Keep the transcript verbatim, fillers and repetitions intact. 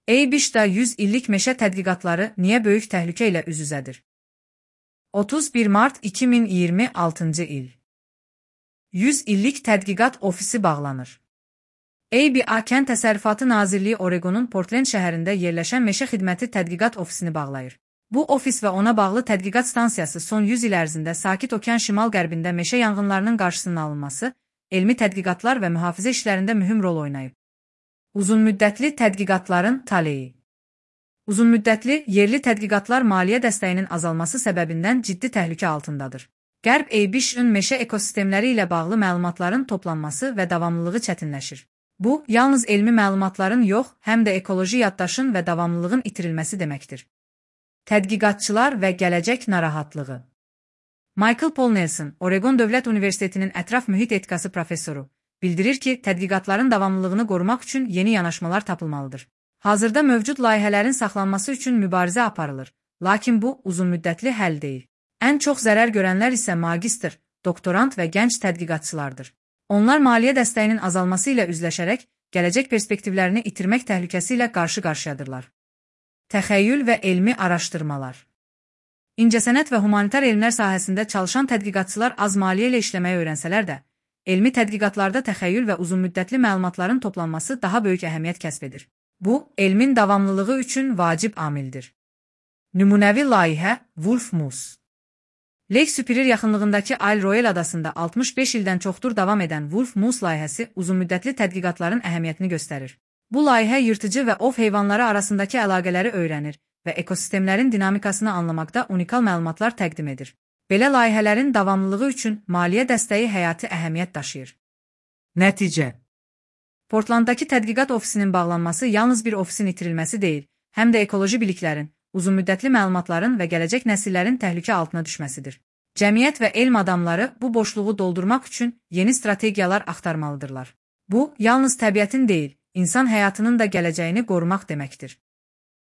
Eybiş-də yüz illik meşə tədqiqatları niyə böyük təhlükə ilə üz-üzədir? otuz bir mart iki min iyirmi altıncı il. yüz illik tədqiqat ofisi bağlanır. A B A Kənd Təsərrüfatı Nazirliyi Oregonun Portland şəhərində yerləşən meşə xidməti tədqiqat ofisini bağlayır. Bu ofis və ona bağlı tədqiqat stansiyası son yüz il ərzində Sakit Okean şimal-qərbində meşə yanğınlarının qarşısının alınması, elmi tədqiqatlar və mühafizə işlərində mühüm rol oynayıb. Uzunmüddətli tədqiqatların taleyi. Uzunmüddətli, yerli tədqiqatlar maliyyə dəstəyinin azalması səbəbindən ciddi təhlükə altındadır. Qərb Eybiş-ün meşə ekosistemləri ilə bağlı məlumatların toplanması və davamlılığı çətinləşir. Bu, yalnız elmi məlumatların yox, həm də ekoloji yaddaşın və davamlılığın itirilməsi deməkdir. Tədqiqatçılar və gələcək narahatlığı. Michael Paul Nelson, Oregon Dövlət Universitetinin ətraf mühit etikası professoru, bildirir ki, tədqiqatların davamlılığını qorumaq üçün yeni yanaşmalar tapılmalıdır. Hazırda mövcud layihələrin saxlanması üçün mübarizə aparılır, lakin bu, uzunmüddətli həll deyil. Ən çox zərər görənlər isə magistr, doktorant və gənc tədqiqatçılardır. Onlar maliyyə dəstəyinin azalması ilə üzləşərək, gələcək perspektivlərini itirmək təhlükəsi ilə qarşı-qarşıyadırlar. Təxəyyül və elmi araşdırmalar. İncəsənət və humanitar elmlər sahəsində çalışan tədqiqatçılar az maliyyə ilə işləməyi öyrənsələr də, elmi tədqiqatlarda təxəyyül və uzunmüddətli məlumatların toplanması daha böyük əhəmiyyət kəsb edir. Bu, elmin davamlılığı üçün vacib amildir. Nümunəvi layihə Wolf Moose. Lake Superior yaxınlığındakı Isle Royale adasında altmış beş ildən çoxdur davam edən Wolf Moose layihəsi uzunmüddətli tədqiqatların əhəmiyyətini göstərir. Bu layihə yırtıcı və ov heyvanları arasındakı əlaqələri öyrənir və ekosistemlərin dinamikasını anlamaqda unikal məlumatlar təqdim edir. Belə layihələrin davamlılığı üçün maliyyə dəstəyi həyati əhəmiyyət daşıyır. Nəticə. Portlanddakı tədqiqat ofisinin bağlanması yalnız bir ofisin itirilməsi deyil, həm də ekoloji biliklərin, uzunmüddətli məlumatların və gələcək nəsillərin təhlükə altına düşməsidir. Cəmiyyət və elm adamları bu boşluğu doldurmaq üçün yeni strategiyalar axtarmalıdırlar. Bu, yalnız təbiətin deyil, insan həyatının da gələcəyini qorumaq deməkdir.